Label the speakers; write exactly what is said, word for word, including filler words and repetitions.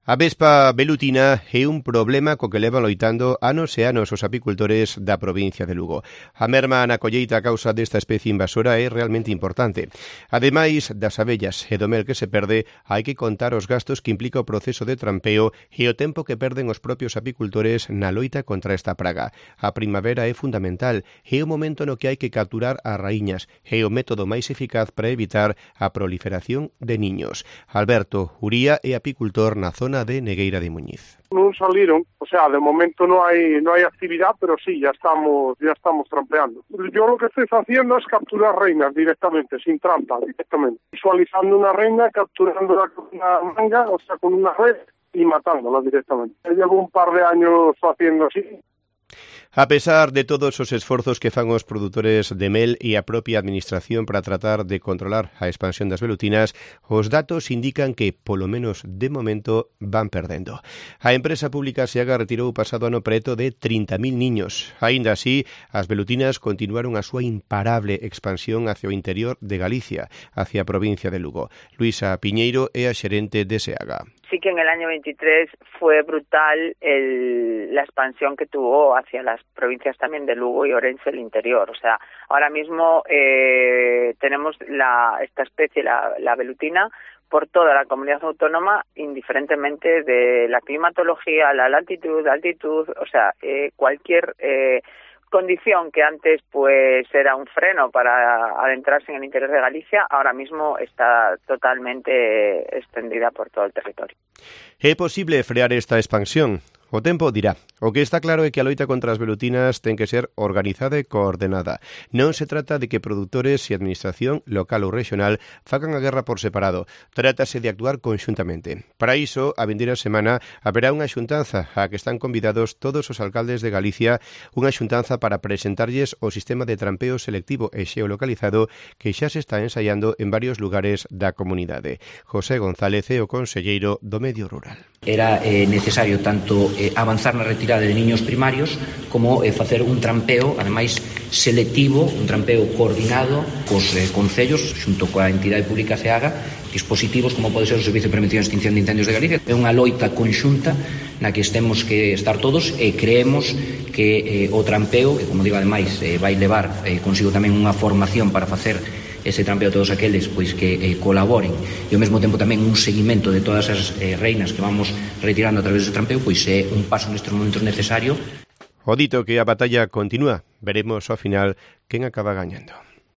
Speaker 1: A vespa velutina é un problema co que levan loitando anos e anos os apicultores da provincia de Lugo. A merma na colleita a causa desta especie invasora é realmente importante. Ademais das abellas e do mel que se perde, hai que contar os gastos que implica o proceso de trampeo e o tempo que perden os propios apicultores na loita contra esta praga. A primavera é fundamental, é o momento no que hai que capturar as raíñas, é o método máis eficaz para evitar a proliferación de niños. Alberto Uría é apicultor na zona de Negueira de Muñiz.
Speaker 2: Non saliron, o sea, de momento no hai no hai actividad, pero sí, ya estamos ya estamos trampeando. Yo lo que estoy haciendo es capturar reinas directamente, sin trampa, directamente. Visualizando una reina, capturándola con una manga, o sea, con una red y matándola directamente. Llevo un par de años haciendo así.
Speaker 1: A pesar de todos os esforzos que fan os produtores de mel e a propia administración para tratar de controlar a expansión das velutinas, os datos indican que, polo menos de momento, van perdendo. A empresa pública SEAGA retirou o pasado ano preto de trinta mil niños. Aínda así, as velutinas continuaron a súa imparable expansión hacia o interior de Galicia, hacia a provincia de Lugo. Luisa Piñeiro é a xerente de SEAGA.
Speaker 3: Sí que en el año veintitrés fue brutal el, la expansión que tuvo hacia las provincias también de Lugo y Orense, el interior. O sea, ahora mismo eh, tenemos la, esta especie, la, la velutina, por toda la comunidad autónoma, indiferentemente de la climatología, la latitud, altitud, o sea, eh, cualquier eh, condición que antes pues era un freno para adentrarse en el interior de Galicia, ahora mismo está totalmente extendida por todo el territorio.
Speaker 1: É posible frear esta expansión? O tempo dirá. O que está claro é que a loita contra as velutinas ten que ser organizada e coordenada. Non se trata de que produtores e administración local ou regional fagan a guerra por separado. Trátase de actuar conxuntamente. Para iso, a vindeira semana haberá unha xuntanza a que están convidados todos os alcaldes de Galicia, unha xuntanza para presentarlles o sistema de trampeo selectivo e xeolocalizado que xa se está ensaiando en varios lugares da comunidade. José González é o conselleiro do Medio Rural.
Speaker 4: Era eh, necesario tanto eh, avanzar na retirada de niños primarios como eh, facer un trampeo, ademais selectivo, un trampeo coordinado cos eh, concellos, xunto coa entidade pública SEAGA, dispositivos como pode ser o Servicio de Prevención e Extinción de Incendios de Galicia. É unha loita conxunta na que temos que estar todos e creemos que eh, o trampeo, que como digo ademais eh, vai levar eh, consigo tamén unha formación para facer ese trampeo a todos aqueles pois que eh, colaboren e ao mesmo tempo tamén un seguimento de todas as eh, reinas que vamos retirando a través dese trampeo, pois é un paso nestes momentos necesario.
Speaker 1: O dito que a batalla continúa, veremos ao final quen acaba gañando.